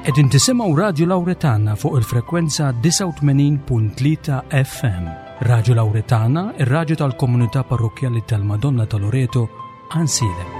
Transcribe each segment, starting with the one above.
Qegħdin tisimgħu Radju Lawretana fuq il-frekwenza 89.3 FM. Radju Lawretana, ir-radju tal-komunità parrokkjali tal-Madonna ta' Loreto, Ansiedem.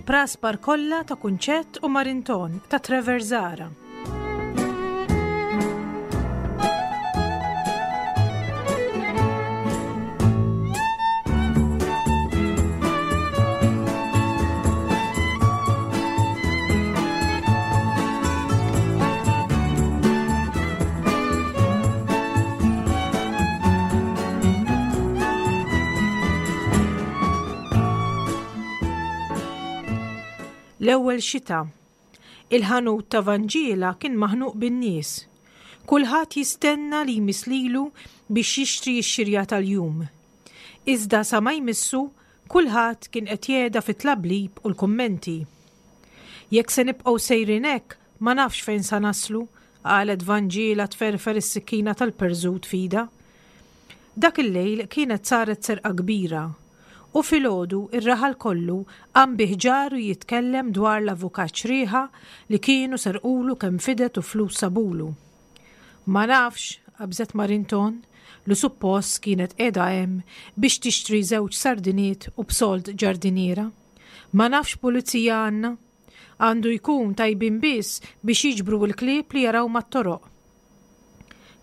Il-praspar kollha ta' Kunċett u Marinton ta' Trevor Zara. L-ewwel xita. Il-ħanut ta' Vanġiela kien maħnuq bin-nies. Kulħadd jistenna li jmiss lilu biex jixtri x-xirja tal-jum. Iżda sa ma jmissu, kulħadd kien qed jehda fit-tlablib u l-kummenti. Jekk se nibqgħu sejrin hekk, ma nafx fejn sa naslu, qalet Vanġiela tferfer is-sikkina tal-perżut f'idha. Dak il-lejl kienet saret serqa kbira u filgħodu r-raħal kollu qam bi ħġaru jitkellem dwar l-avukat Xrieħa li kienu serqulu kemm fidet u flus sabulu. Ma nafx, qabżet Marinton, li suppost kienet qiegħda hemm biex tixtri żewġ sardiniet u b'sold ġardiniera. Ma nafx pulizija għandna. Għandu jkun tajbin biss biex jiġbru l-klieb li jaraw mat-toroq.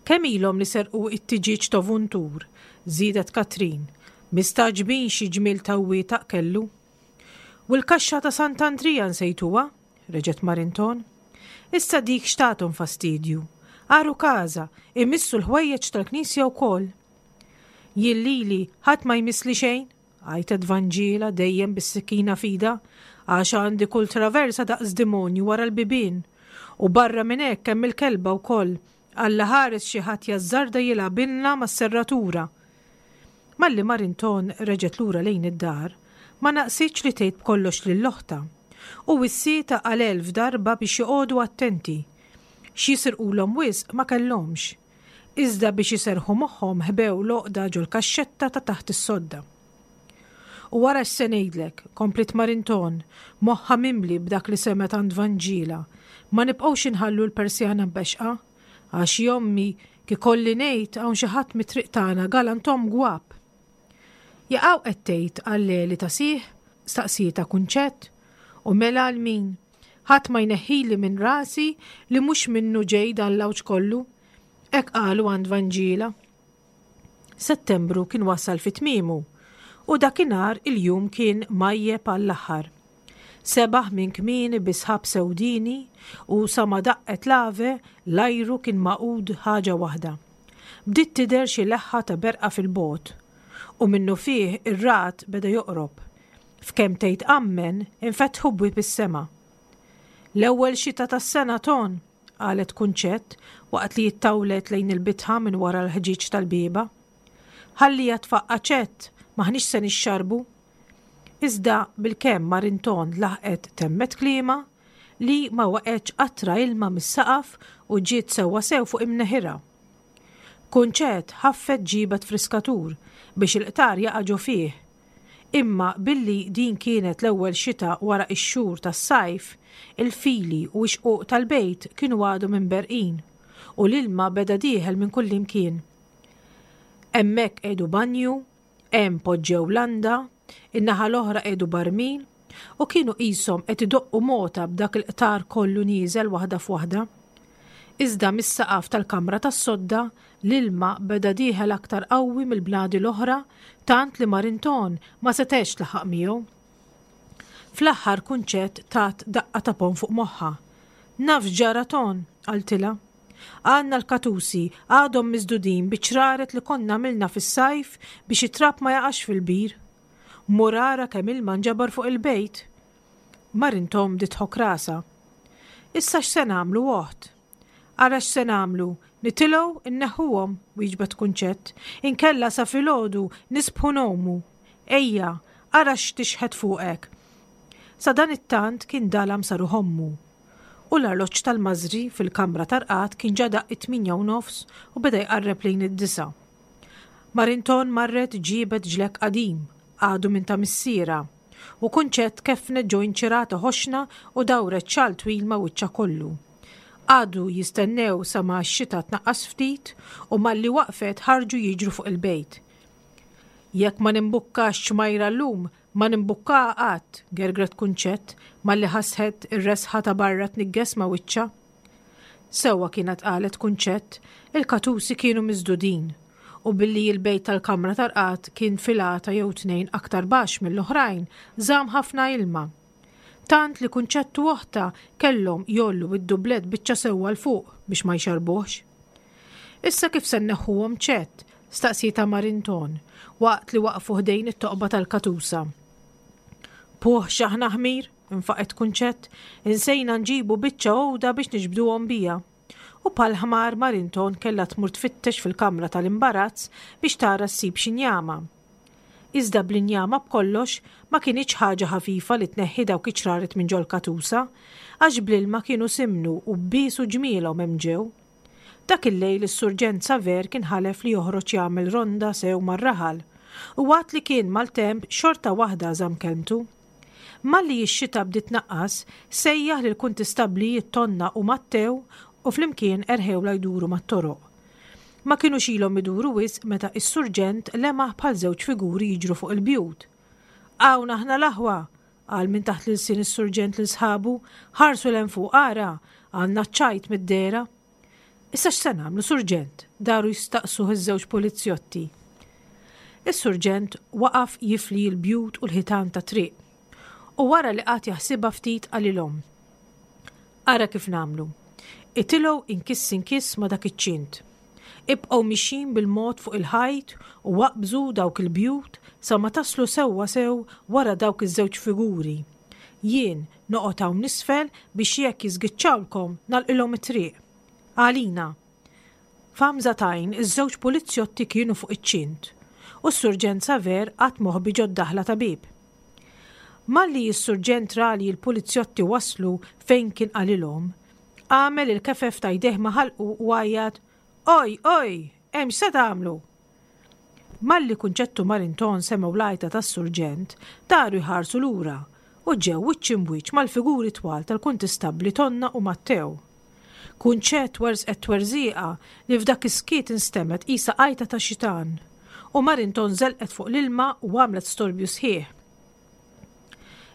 Kemm ilhom li serqu t-tiġieġ t'Ovuntur, żiedet Katrin, mistagħġbin xi ġmiel ta' wietaq kellu. U l-kaxxa ta' Sant'Andrija nsejtuha? reġgħet Marinton. Issa dik x'tathom fastidju? Għarukaża, imissu l-ħwejjeġ tal-knisja wkoll. Jien lili ħadd ma jmissli xejn, għajtet Vanġiela dejjem bis-sikkina f'idha, għax għandi kull traversa daqs dimonju wara l-bibien. U barra minn hekk hemm il-kelba wkoll, Alla ħares xi ħadd jażżarda jilgħabilna mas-serratura. Malli Marinton reġgħet lura lejn id-dar, ma naqsitx li tgħid b'kollox lil oħtha. U wissietha għal elf darba biex joqogħdu attenti. X'jisirqulhom wisq ma kellhomx. Iżda biex iserrħu moħħhom ħbew l-għoqda ġol-kaxxetta ta' taħt is-sodda. U ara x'se ngħidlek, kompliet Marinton, moħħha mimli b'dak li semgħet għand Vanġiela, ma nibqgħux inħallu l-persjana mbexxqa, għax jommi, k'ikolli ngħid hawn xi ħadd mit-triq tagħna galantom gwab. Jaqaw qed tgħid għal Leli ta' sih? staqsietha Kunċett. U mela għal min? Ħadd ma jneħħili minn rasi li mhux minnu ġej dan l-għawġ kollu. Hekk qalu għand Vanġiela. Settembru kien wasal fi tmiemu u dakinhar il-jum kien mgħajjeb għall-aħħar. Sebaħ minn kmieni bi sħab sewdieni u sa ma daqqet l-ave l-ajru kien magħqud ħaġa waħda. Bdiet tidher xi leħħa ta' berqa fil-bogħod u minnufih ir-ragħad beda joqrob. F'kemm tgħid ammen infetħu bwieb is-sema. L-ewwel xita tas-sena, Ton! qalet Kunċett waqt li ttawlet lejn il-bitħa minn wara l-ħġieġ tal-bieba. Ħalliha tfaqqa' Ċett, m'aħniex se nixxarrbu. Iżda bilkemm Marinton laħqet temmet kliemha, li ma waqgħetx qatra ilma mis-saqaf u ġiet sewwasew fuq imneħirha. Kunċett ħaffet ġiebet friskatur biex il-qtar jaqa' ġo fih Imma billi din kienet l-ewwel xita wara x-xhur tas-sajf, il-fili u x-xquq tal-bejt kienu għadhom imberrqin u l-ilma beda dieħel minn kullimkien. Hemmhekk qiegħdu banju, hemm poġġew landa, in-naħa l-oħra qiegħdu barmil u kienu qishom qed idoqqu mota b'dak il-qtar kollu nieżel waħda f'waħda. Iżda mis-saqaf tal-kamra tas-sodda l-ilma beda dieħel aktar qawwi mill-bnadi l-oħra tant li Marinton ma setgħetx tlaħħaq miegħu. Fl-aħħar Kunċett tat daqqa ta' ponn fuq moħħha. Naf x'ġara Ton, qaltilha. Għandna l-katusi għadhom miżdudin biċ-ċraret li konna għamilna fis-sajf biex it-trab ma jaqax fil-bir. Mur ara kemm ilma nġabar fuq il-bejt. Marintom bdiet tħokk rasha. Issa x'se nagħmlu oħt? Ara x'se nagħmlu, nitilgħu nneħħuhom, wieġbet Kunċett, inkella sa filgħodu nisbħu ngħumu. Ejja, ara x'tixħet fuqek. Sadanittant kien dalam sa ruħ ommu. U l-arloġġ tal-mażri fil-kamra tar-rqad kien ġa daqq it-tmienja u nofs u beda jqarreb lejn id-disgħa. Marinton marret ġiebet ġlekk qadim, għadu minn ta' missierha, u Kunċett keffnet ġo inċirata ħoxna u dawret xall twil ma' wiċċha kollu. Qagħdu jistennew sa ma x-xita tnaqqas ftit u malli waqfet ħarġu jiġru fuq il-bejt. Jekk ma nimbukkax ċmajra llum, ma nimbukkaha qatt, gergret Kunċett malli ħasset ir-resħa ta' barra tniggeż ma' wiċċha. Sewwa kienet qalet Kunċett, il-katusi kienu miżdudin u billi l-bejt tal-kamra tar-rqad kien filata jew tnejn aktar baxx mill-oħrajn, żamm ħafna ilma. Tant li Kunċett u oħtha kellhom jgħollu d-dublett biċċa sewwa 'l fuq biex ma jxarrbuhx. Issa kif se nneħħuhom Ċett? staqsietha Marinton, waqt li waqfu ħdejn it-toqba tal-katusa. Puh x'aħna ħmir, infaqgħet Kunċett, insejna nġibu biċċa għuda biex niġbduhom biha. U bħal ħmar Marinton kellha tmur tfittex fil-kamra tal-imbarazz biex tara ssib xi njama. Iżda bl-injama b'kollox ma kinitx ħaġa ħafifa li tneħħi dawk iċ-ċraret minn ġol-katusa, għax bl-ilma kienu simnu u biesu ġmielhom hemm ġew. Dak il-lejl is-Surġent Saver kien ħalef li joħroġ jagħmel ronda sew mar-raħal, u għad li kien maltemp xorta waħda żamm kelmtu. Malli x-xita bdiet tnaqqas, sejjaħ lill-kuntistablijiet Tonna u Mattew u flimkien erħewlha jduru mat-toroq. Ma kinux ilhom iduru wisq meta s-surġent lemaħ bħal żewġ figuri jiġru fuq il-bjut. Hawn aħna l-aħwa! qal minn taħt l-ilsien is-surġent lil sħabu, ħarsu 'l hemm fuq ara, għandna ċ-ċajt mid-dehra. Issa x'se nagħmlu, surġent? daru jistaqsuh iż-żewġ pulizjotti. Is-surġent waqaf jifli l-bjut u l-ħitan tat-triq. U wara li qagħad jaħsibha ftit qalilhom, Ara kif nagħmlu. Itilgħu inkiss inkiss ma' dak iċ-ċint. Ibqgħu mixjin bil-mod fuq il-ħajt u aqbżu dawk il-bjut sa ma taslu sewwa sew wara dawk iż-żewġ figuri. Jien noqgħod hawn isfel biex jekk jiżgiċċawlkom nagħlqilhom it-triq. Għalina! F'għamża t'għajn iż-żewġ pulizjotti kienu fuq iċ-ċint u s-Surġent Saver qagħad moħbi ġod-daħla ta' bieb. Malli s-Surġent ra li l-pulizjotti waslu fejn kien qalilhom, għamel il-kefef ta' jdejh ma' ħalqu u għajjat, Oj, oj! Hemm x'se tagħmlu? Malli Kunċett u Marinton semgħu l-għajta tas-Surġent, daru jħarsu lura u ġew wiċċ imb'wiċċ mal-figuri twal tal-Kuntistabbli Tonna u Mattew. Kunċett werżqet twerżieqa li f'dak is-skiet instemgħet qisha għajta ta' xitan, u Marinton żelqet fuq l-ilma u għamlet storbju sħiħ.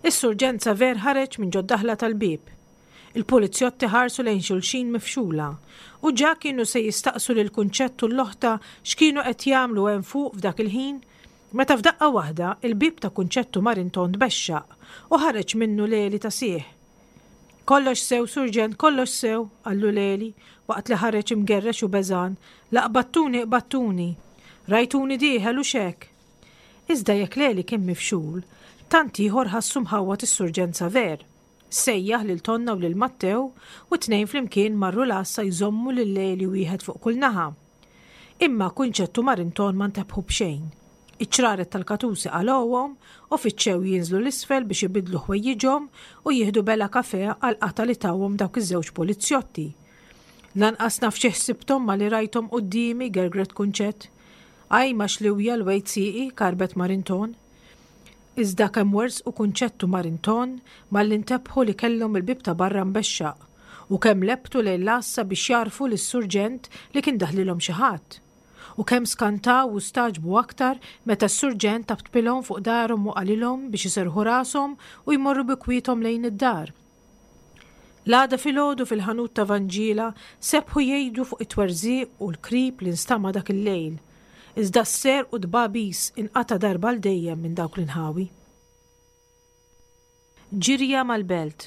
Is-Surġent Saver ħareġ minn ġod-daħla tal-bieb. Il-pulizjotti ħarsu lejn xulxin mifxula, u ġa kienu se jistaqsu lil Kunċett u l-oħta x'kienu qed jagħmlu hemm fuq f'dak il-ħin, meta f'daqqa waħda il-bieb ta' Kunċett u Marinton tbexxaq u ħareġ minnu Leli ta' sieh. Kollox sew, Surġent, kollox sew, qallu Leli, waqt li ħareġ imgerrex u beżgħan, la qbadtuni qbadtuni. Rajtuni dieħel hux hekk? Iżda jekk Leli kien mifxul, tant ieħor ħassu mħawwad is-Surġent Saver. Sejjaħ lil Tonna u lil Mattew u t-tnejn flimkien marru l-għassa jżommu lil Leli wieħed fuq kull naħa. Imma Kunċett u Marinton ma ntebħu b'xejn. Iċ-ċraret tal-katusi qalgħuhom u fittxew jinżlu 'l isfel biex ibiddlu ħwejjiġhom u jieħdu belgħa kafè għall-qatgħa li tawhom dawk iż-żewġ pulizjotti. Lanqas naf xi ħsibthom malli rajthom quddiemi, gergret Kunċett. Ajma xliwja lwejt sieqi, karbet Marinton. Iżda kemm werżqu Kunċett u Marinton malli ntebħu li kellhom il-bieb ta' barra mbexxaq u kemm lebbtu lejn l-għassa biex jgħarrfu lis-surġent li kien daħlilhom xi ħadd. U kemm skantaw u stagħġbu aktar meta s-surġent taptpilhom fuq darhom u qalilhom biex iserrħu rashom u jmorru bi kwiethom lejn id-dar. L-għada filgħodu fil-ħanut ta' Vanġiela sebħu jgħidu fuq it-twerżiq u l-krib li nstama' dak il-lejl. Iżda s-serq u t-tbagħbis inqata' darba għal dejjem minn dawk l-inħawi. Ġirja mal-belt.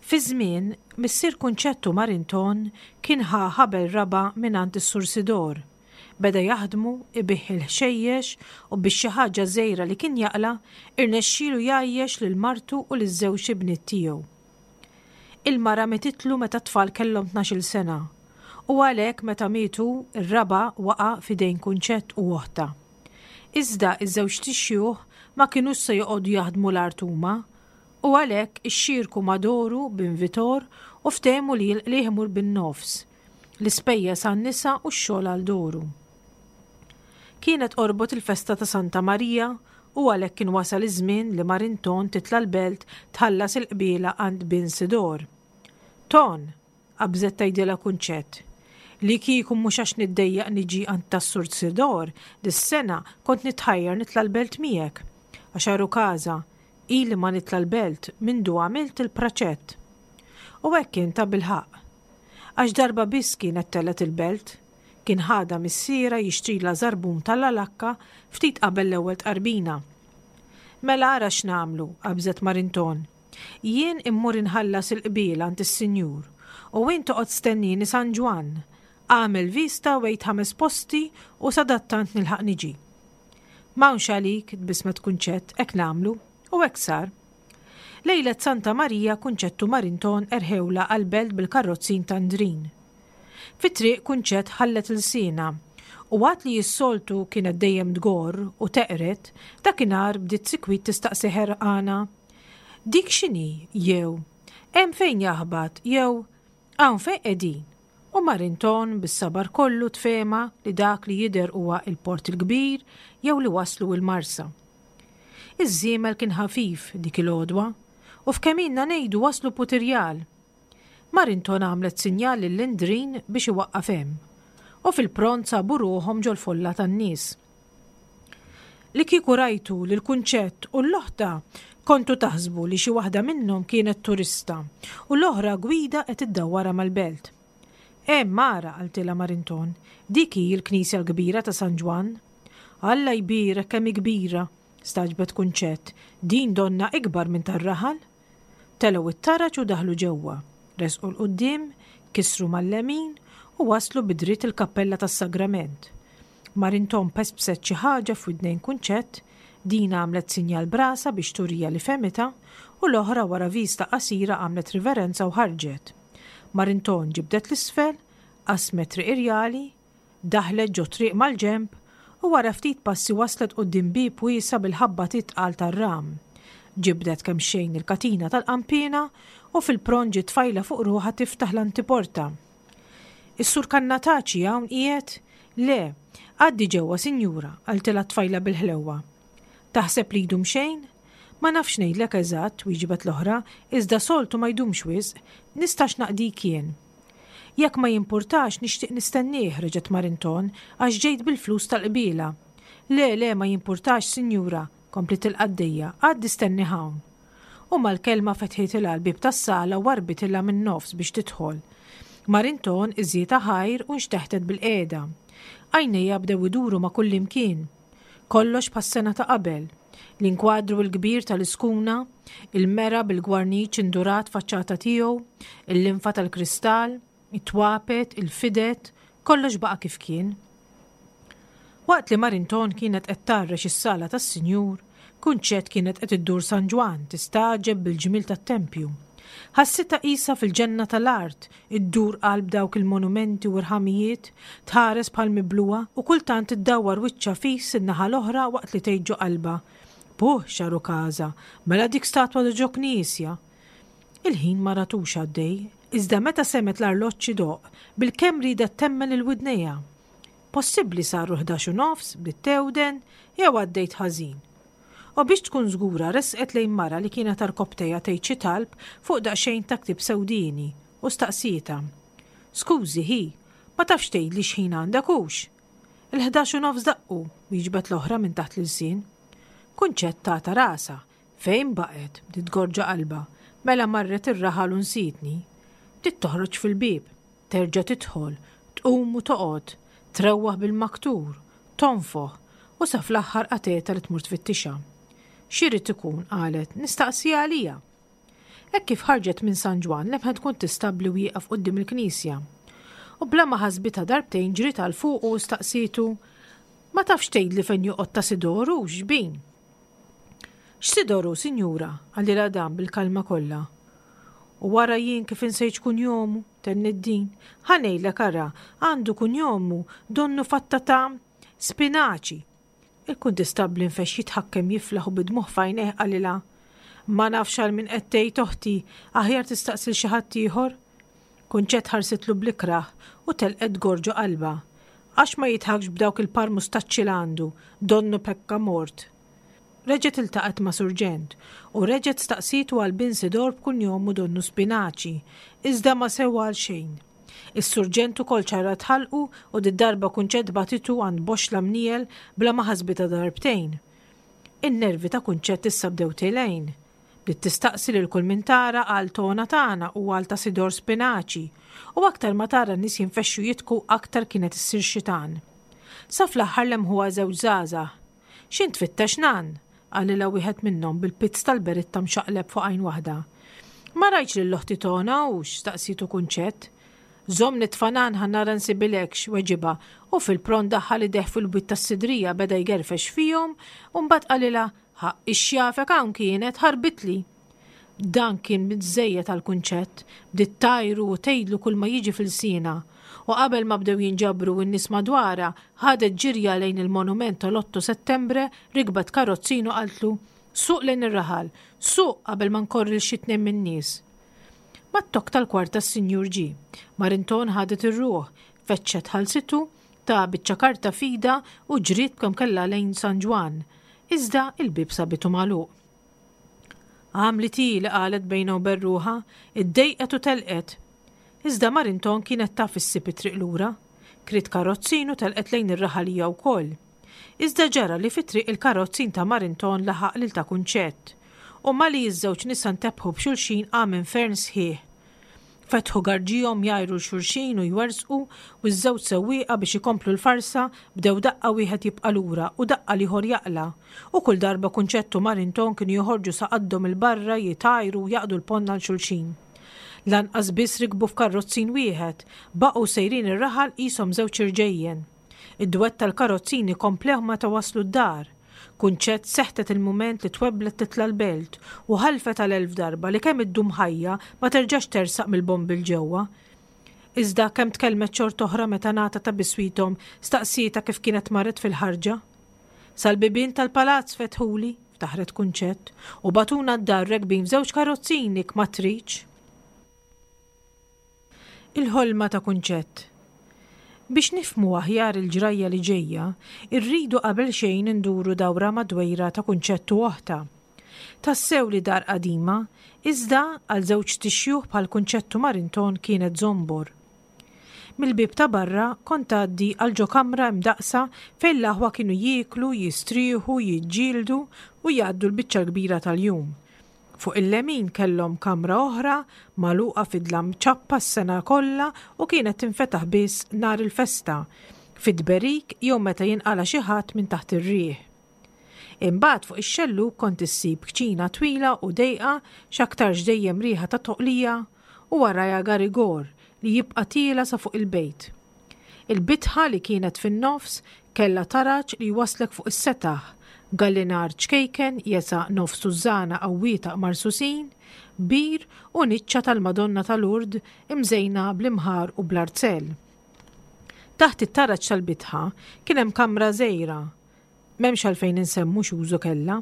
Fi żmien, missier Kunċettu Marinton kien ħa ħabel raba' mingħand is-Sur Sidor. Beda jaħdmu, ibigħ il-ħxejjex u bix-xi ħaġa żgħira li kien jaqla', irnexxielu jgħajjex lil martu u liż-żewġ ibniet tiegħu. Il-mara mititlu meta t-tfal kellhom tnax-il sena u għalhekk meta miet hu, ir-raba' waqa' f'idejn Kunċett u oħtha. Iżda iż-żewġt ixjuħ ma kinux se joqogħdu jaħdmu l-art huma u għalhekk ixxierku ma' Doru bin Vitor u ftehmu li l-qligħ imur bin-nofs, l-ispejjeż għan-nisa u x-xogħol għal Doru. Kienet qorbot il-festa ta' Santa Marija u għalhekk kien wasal iż-żmien li Marinton titla' l-belt tħallas il-qbiela għand bin Sidor. Ton! qabżet tgħidilha Kunċett. Li kieku mhux għax niddejjaq niġi għand tas-Sur Sidor, dis-sena kont nitħajjar nitla' l-belt miegħek. Għax għarukaża, ili ma nitla' l-belt mindu għamilt il-praċett. U hekk kien tabilħaqq. Għax darba biss kienet telgħet il-belt. Kien ħadha missierha jixtrilha żarbun tal-alakka ftit qabel l-ewwel tqarbina. Mela ara x'nagħmlu, qabżet Marinton. Jien immur inħallas il-qbil għand is-sinjur, u int oqgħod stennieni San Ġwann. Agħmel vista u għid ħames posti u sadattant nilħaq niġi. M'hawnx għalik, tbissmet Kunċett, hekk nagħmlu. U hekk sar. Lejlet Santa Marija Kunċett u Marinton erħewlha għall-belt bil-karrozzin ta' Ndrin. Fit-triq Kunċett ħallet ilsienha u għad li s-soltu kienet dejjem tgorr u teqred, dakinhar bdiet sikwit tistaqsi ħerqana, Dik x'inhi? jew Hemm fejn jaħbat? jew Hawn fejn qegħdin? U Marinton bis-sabar kollu tfehma li dak li jidher huwa il-Port il-Kbir jew li waslu il-Marsa. Iż-żiemel kien ħafif dik il-għodwa u f'kemm ilna ngħidu waslu Putirjal. Marinton għamlet sinjal lil Indrin biex iwaqqaf hemm, u fil-pront sabu ruħhom ġol-folla tan-nies. Li kieku rajtu lil Kunċett u l-oħta, kontu taħsbu li xi waħda minnhom kienet turista u l-oħra gwida qed iddawwarha mal-belt. Hemm ara, qaltilha Marinton, dik hi l-knisja l-kbira ta' San Ġwann. Alla jbierek kemm hi kbira! stagħġbet Kunċett, din donnha ikbar minn tar-raħal. Telgħu t-taraġ u daħlu ġewwa, resqu 'l quddiem, kisru mal-lemin u waslu bi dritt il-kappella tas-Sagrament. Marinton pespset xi ħaġa f'widnejn Kunċett, din għamlet sinjal b'rasha biex turiha li fehmitha u l-oħra wara vista qasira għamlet riverenza u ħarġet. Marinton ġibdet 'l isfel, qasmet Triq Irjali, Daħlet ġo triq mal-ġenb u wara ftit passi waslet quddiem bieb wiesa' bil-ħabbatiet tqal tar-ram. Ġibdet kemxejn il-katina tal-qanpiena u fil-pront ġiet tfajla fuq ruħha tiftaħ l-antiporta. Is-Sur Kannataċi hawn qiegħed? Le, għaddi ġewwa sinjura, qaltilha t-tfajla bil-ħlewwa. Taħseb li jdum xejn? Ma nafx ngħidlek eżatt, wieġbet l-oħra, iżda soltu ma jdumx wisq. Nistax naqdik jien. Jekk ma jimpurtax nixtieq nistennieh, reġgħet Marinton, għax ġejt bil-flus tal-qbiela. Le, le, ma jimpurtax, sinjura, kompliet il-qaddejja, għaddi stennih hawn. U mal-kelma fetħitilha l-bieb tas-sala u warbitilha min-nofs biex tidħol. Marinton iżjietha ħajr u nxteħtet bilqiegħda. Għajnejha bdew iduru ma' kullimkien. Kollox bħas-sena ta' qabel. L-inkwadru l-kbir tal-iskuna, il-mera bil-gwarniċ indurat faċċata tiegħu, il-linfa tal-kristall, it-twapet, il-fidet, kollox baqa' kif kien. Waqt li Marinton kienet qed tgħarrex is-sala tas-Sinjur, Kunċett kienet qed iddur San Ġwann tistagħġeb bil-ġmiel tat-tempju. Ħassitha qisha fil-ġenna tal-art, iddur qalb dawk il-monumenti u rħamijiet, tħares bħal miblugħa u kultant iddawwar wiċċha fis in-naħa l-oħra waqt li tgħid ġo qalbha, Puh, x'għarukaża, mela dik statwa ta' ġo knisja! Il-ħin ma ratux għaddej, iżda meta semgħet l-arloġġ idoqq, bilkemm riedet temmen lil widnejha. Possibbli saru l-ħdax u nofs, bdiet tewden, jew għaddejt ħażin? U biex tkun żgura resqet lejn mara li kienet għarkopptejha tgħid xi talb fuq daqsxejn ta' ktieb sewdieni u staqsietha, Skużi, ħi, ma tafx tgħidli x'ħin għandek hux? Il-ħdax u nofs daqqu, wieġbet l-oħra minn taħt l-ilsien. Kunċett tatha rasha. Fejn baqgħet? bdiet tgorġa qalbha. Mela marret ir-raħal u nsietni. Bdiet toħroġ fil-bieb. Terġa' tidħol, tqum u toqgħod, trewwaħ bil-maktur, tonfoħ, u sa fl-aħħar qatgħetha li tmur tfittixha. X'irid ikun, qalet, nistaqsiha għalija. Hekk kif ħarġet minn San Ġwann lemħet kuntistabbli wieqaf quddiem il-knisja. U bla ma ħasbitha darbtejn ġriet għal fuqu u staqsietu, Ma tafx tgħidli fejn joqgħod ta' Sidoru, xbin? X'Sidoru, sinjura? qalilha dan bil-kalma kollha. U wara jien kif insejt x'kunjomu, tenniet din. Ħa ngħidlek ara, għandu kunjomu donnu fatta ta' spinaċi. Il-kuntistabbli nfexx jitħakkem jiflaħ u bid-dmugħ f'għajnejh qalilha, Ma nafx għal min qed tgħid oħti, aħjar tistaqsi 'l xi ħadd ieħor. Kunċett ħarsitlu bl-ikrah u telqet tgorr ġo qalbha. Għax ma jidħakx b'dawk il-par mustaċċi l għandu, donnu pekka mort. Reġgħet iltaqgħet ma' surġent u reġgħet staqsietu għal bin Sidor b'kunjomu donnu Spinaċi, iżda ma sewa għal xejn. Is-surġent ukoll ċarrat ħalqu u did-darba Kunċett bagħtitu għand boxxla mniegħel bla ma ħasbitha darbtejn. In-nervi ta' Kunċett issa bdew tilgħin. Bdiet tistaqsi lil kull min tara għal Tona tagħna u għal ta' Sidor Spinaċi. U aktar ma tara n-nies jinfexxu jidhku aktar kienet issir xitan. Sa fl-aħħar lemħuha żewġ żgħażagħ. X'int tfittex nann? qalilha wieħed minnhom bil-pizz tal-beritta mxaqleb fuq għajn waħda. Ma rajtx lil oħti Tona hux? staqsietu Kunċett. Żomm nitfa' nann ħa nara nsibilekx, weġibha u fil-pront daħħal idejh fil-bwiet tas-sidrija beda jgerfex fihom u mbagħad qalilha, Ħaqq ix-xjafek hawn kienet, ħarbitli. Dan kien biżżejjed għal Kunċett, bdiet tgħajru u tgħidlu kulma jiġi f'ilsienha. U qabel ma bdew jinġabru n-nies madwarha, ħadet ġirja lejn il-monument tal-Otto Settembre, rikbet karozzin u qaltlu, Suq lejn ir-raħal, suq qabel ma nkorri 'l xi tnejn min-nies. Mat-tokk tal-kwarta s-sinjur ġie. Marinton ħadet ir-ruħ, fettxet ħalsitu, ta biċċa karta f'idha u ġriet b'kemm kellha lejn San Ġwann. Iżda il-bieb sabitu magħluq. Għamlit hi li qalet bejnha u ben ruħha, iddejqet u telqet. Iżda Marinton kienet taf issib it-triq lura. Kriet karozzin u telqet lejn ir-raħal hija wkoll. Iżda ġara li fit-triq il-karozzin ta' Marinton laħaq lil ta' Kunċett. U malli ż-żewġ nisa ntebħu b'xulxin qam infern sħiħ. Fetħu garġihom jgħajru 'l xulxin u jwerżqu u ż-żewġ sewwieqa biex ikomplu l-farsa bdew daqqa wieħed jibqa' lura u daqqa l-ieħor jaqla' u kull darba Kunċett u Marinton kienu joħorġu sa qaddhom 'il barra jitgħajru u jaqdu l-ponn għal xulxin. Lanqas biss rikbu f'karrozzin wieħed, baqgħu sejrin ir-raħal qishom żewġ irġejjen. Id-dwett tal-karozzini komplew meta waslu d-dar. Kunċett seħtet il-mument li twebblet titla' l-belt u ħalfet għal elf darba li kemm iddum ħajja ma terġax tersaq mill-bombi 'l ġewwa. Iżda kemm tkellmet xort'oħra meta ngħata ta' biswithom staqsietha kif kienet marret fil-ħarġa. Sal-bibien tal-palazz fetħuli, ftaħret Kunċett, u bagħtuna d-dar rekbin f'żewġ karozzini kma tridx. Il-ħolma ta' Kunċett. Biex nifhmu aħjar il-ġrajja li ġejja, irridu qabel xejn induru dawra mad-dwejra ta' Kunċett u oħtha. Tassew li dar qadima, iżda għal żewġt ixjuħ bħal Kunċett u Marinton kienet żombor. Mill-bieb ta' barra kont tgħaddi għal ġo kamra imdaqqsa fejn l-aħwa kienu jieklu, jistrieħu, jiġġieldu u jgħaddu l-biċċa l-kbira tal-jum. Fuq il-lemin kellhom kamra oħra, magħluqa fi dlam ċappa s-sena kollha u kienet tinfetaħ biss nhar il-festa, fit-tberik jew meta jinqala' xi ħadd minn taħt ir-riħ. Imbagħad fuq ix-xellug kont issib kċina twila u dejqa x'aktarx dejjem riħa ta' toqlija u warajha garigor li jibqa' tiela' sa fuq il-bejt. Il-bitħa li kienet fin-nofs kellha taraġ li jwasslek fuq is-setaħ, gallinar ċkejken jesa' nofs tużżana qawwieta marsusin, bir u niċċa tal-Madonna ta' Lourdes imżejna bl-imħar u bl-arzell. Taħt it-taraġ tal-bitħa kien hemm kamra żgħira, m'hemmx għalfejn insemmu x'użu kellha,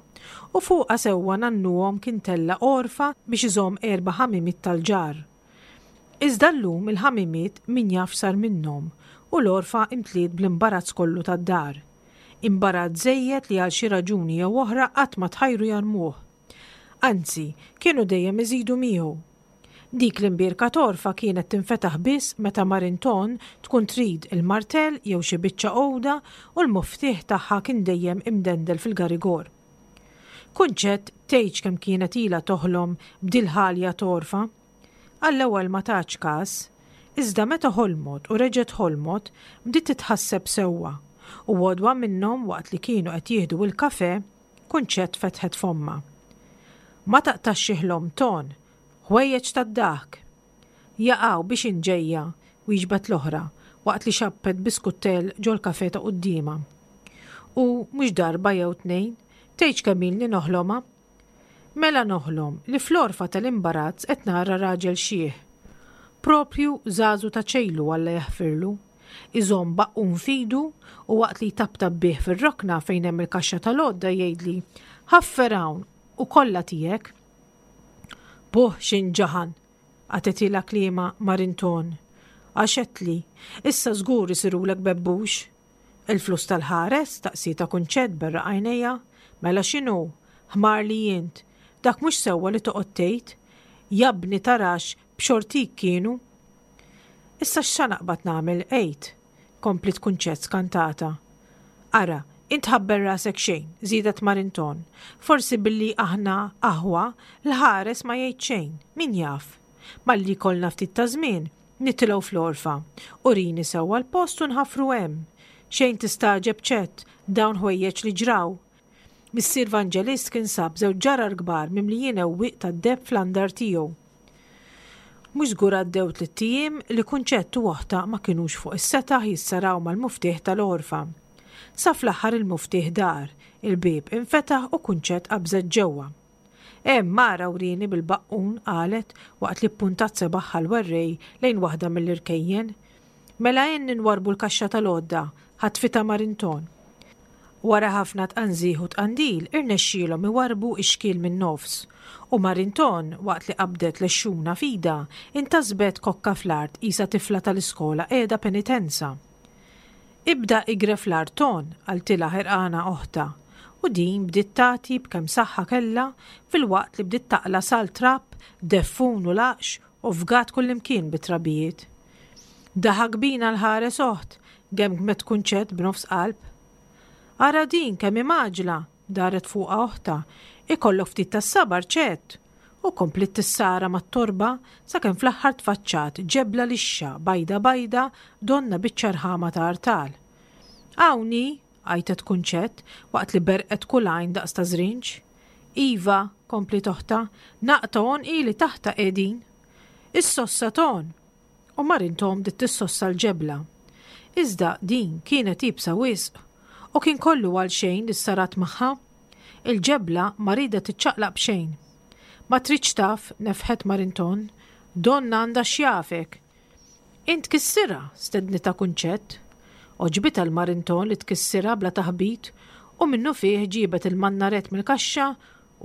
u fuqha sewwa nannuhom kien tella' għorfa biex iżomm erba' ħamimiet tal-ġarr. Iżda llum il-ħamimiet min jaf x'sar minnhom u l-għorfa imtliet bl-imbarazz kollu tad-dar. Imbarazz żejjed li għal xi raġuni jew oħra qatt ma tħajru jarmuh. Anzi, kienu dejjem iżidu miegħu. Dik l-imbierka t'għorfa kienet tinfetaħ biss meta Marinton tkun trid il-martell jew xi biċċa għuda u l-muftieħ tagħha kien dejjem imdendel fil-garigor. Kunċett tgħidx kemm kienet ilha toħlom b'dil-ħalja t'għorfa. Għall-ewwel ma tatx kas, iżda meta ħolmot u reġgħet ħolmot, bdiet titħasseb sewwa, u għodwa minnhom waqt li kienu qed jieħdu il-kafè, Kunċett fetħet fommha. Ma taqtax xi ħlom, Ton! Ħwejjeġ tad-daħk! Jaqaw biex int ġejja? wieġbet l-oħra, waqt li xabbet biskuttell ġol-kafè ta' quddiemha. U mhux darba jew tnejn, tgħidx kemm ilni noħlomha. Mela noħlom li fl-għorfa tal-imbarazz qed nara raġel xiħ. Proprju żagħżu ta' ċejlu Alla jaħfirlu. Iżomm baqqun f'idu u waqt li jtaptap bih fir-rokna fejn hemm il-kaxxa tal-għodda jgħidli, Ħaffer hawn u kollha tiegħek. Buh x'inġaħan! Qatgħetilha kliemha Marinton. Għax għedtli, issa żgur isirulek bebbux. Il-flus tal-ħares? staqsietha Kunċett berraq għajnejha. Mela x'inhu? Ħmar li int. Dak mhux sewwa li toqgħod tgħid. Jabni tarax b'xortik kienu. Issa x'sa naqbad nagħmel, għid? kompliet Kunċett skantata. Ara, int tħabbel rasek xejn, żiedet Marinton. Forsi billi aħna aħwa, l-ħares ma jgħid xejn, min jaf? Malli jkollna ftit ta' żmien, nitilgħu fl-għorfa. Urini sewwa l-post u nħaffru hemm. Xejn tistagħġeb Ċett, dawn ħwejjeġ li ġraw. Missier Vanġelist kien sab żewġ ġarar kbar mimlijin ewwieq tad-deheb fl-andar tiegħu. Mhux żgur għaddew tlitt ijiem li Kunċett u oħtha ma kinux fuq is-setaħ jissaraw mal-muftieħ tal-għorfa. Sa fl-aħħar il-muftieħ dar, il-bieb infetaħ u Kunċett qabżet ġewwa. Hemm, ara wrieni bil-baqqun, qalet waqt li ppuntat sebagħha l-werrej lejn waħda mill-irkejjen. Mela għinni nwarrbu l-kaxxa tal-għodda, ħatfitha Marinton. Wara ħafna tqanżih u tqandil irnexxielhom iwarrbu x-xkiel min-nofs, u Marinton, waqt li qabdet l-għexxuna f'idha, intasbet kokka fl-art qisha tifla tal-iskola qiegħda penitenza. Ibda igref l-art Ton, qaltilha ħerqana oħtha, u din bdiet tagħti b'kemm saħħa kellha filwaqt li bdiet taqla' salt trab, deffun u laqx u fgat kullimkien bit-trabijiet. Daħak bina l-ħares oħt, gemgmet Kunċett b'nofs qalb. Ara din kemm hi mgħaġġla, daret fuqha oħtha, ikollok ftit tas-sabar Ċett! U kompliet tissara mat-torba sakemm fl-aħħar tfaċċat ġebla lixxa bajda bajda donnha biċċa rħama ta' artal. Hawn hi! għajtet Kunċett waqt li berqet kull għajn daqs ta' żrinġ. Iva, kompliet oħtha, naqta' għonqi li taħtha qegħdin. Is-sossa ton! U Marintom bdiet tissossa l-ġebla. Iżda din kienet iebsa wisq u kien kollu għalxejn li ssarat magħha. Il-ġebla ma riedet tiċċaqlaq b'xejn. Ma tridx taf, nefħet Marinton, donnha għandha x'jafek. Int tkissirha, stednitha Kunċett. Għoġbitha l-Marinton li tkissirha bla taħbit u minnufih ġiebet il-mannarett mill-kaxxa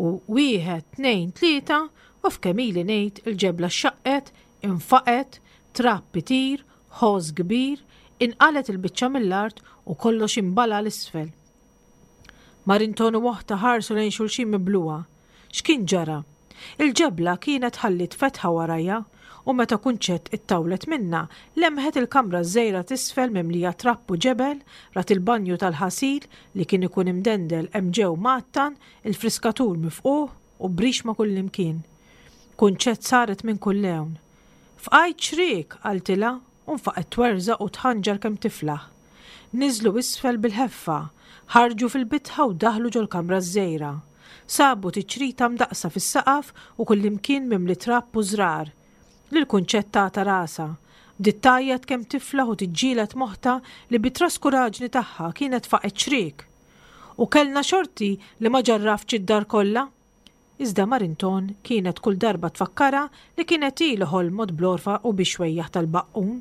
u wieħed, tnejn, tlieta u f'kemm ili ngħid il-ġebla xxaqqet, infaqgħet, trab itir, ħoss kbir, inqalgħet il-biċċa mill-art u kollox inbala' 'l isfel. Marinton u oħtha ħarsu lejn xulxin miblugħa. X'kien ġara? Il-ġebla kienet ħalliet fetħa warajha u meta Kunċett ittawlet minnha, lemħet il-kamra ż-żgħira t'isfel mimlija trab u ġebel, rat il-banju tal-ħasil li kien ikun imdendel hemm ġew mgħattan, il-friskatur mifqugħ u brix ma' kullimkien. Kunċett saret minn kull lewn. Fqajt xriek! qaltilha u nfaqgħet twerżaq u tħanġar kemm tiflaħ. Niżlu isfel bil-ħeffa, ħarġu fil-bitħa u daħlu ġol-kamra ż-żgħira. Sabu tiċrita mdaqqsa fis-saqaf u kullimkien mimli trab u żrar. Lil Kunċett tagħta rasha. Bdiet tgħajjat kemm tiflaħ u tiġġieled m'oħtha li bi traskuraġni tagħha kienet faqgħet xriek. U kellna xorti li ma ġarraftx id-dar kollha! Iżda Marinton kienet kull darba tfakkarha li kienet hi li ħolmot bl-għorfa u bix-xwejjaħ tal-baqqun.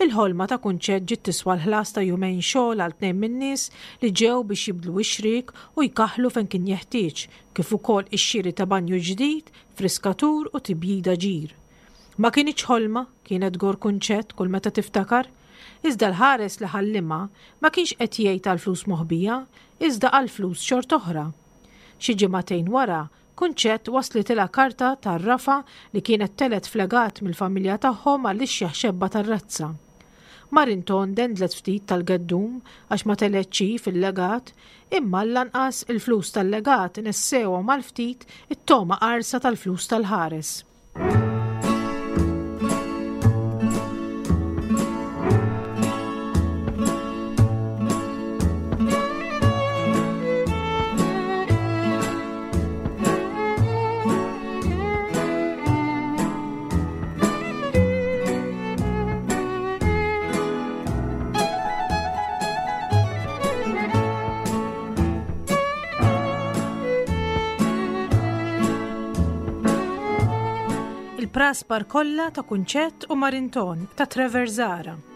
Il-ħolma ta' Kunċett ġiet tiswa l-ħlas ta' jumejn xogħol għal tnejn min-nies li ġew biex jibdlu x-xriek u jkaħħlu fejn kien jeħtieġ, kif ukoll ix-xiri ta' banju ġdid, friskatur u tibjida ġir. Ma kinitx ħolma, kienet tgorr Kunċett kull meta tiftakar. Iżda l-ħares li ħallimha ma kienx qed jgħid għall-flus moħbija, iżda għal flus xort'oħra. Xi ġimagħtejn wara, Kunċett waslitilha karta tgħarrafha li kienet telgħet f'legat mill-familja tagħhom għall-ixjeħ xebba tar-razza. Marinton dendlet ftit tal-geddum għax ma telgħetx hi fil-legat, imma lanqas il-flus tal-legat nessewhom għal ftit it-togħma qarsa tal-flus tal-ħares. Il-praspar kollha ta' Kunċett u Marinton ta' Trevor Zahra.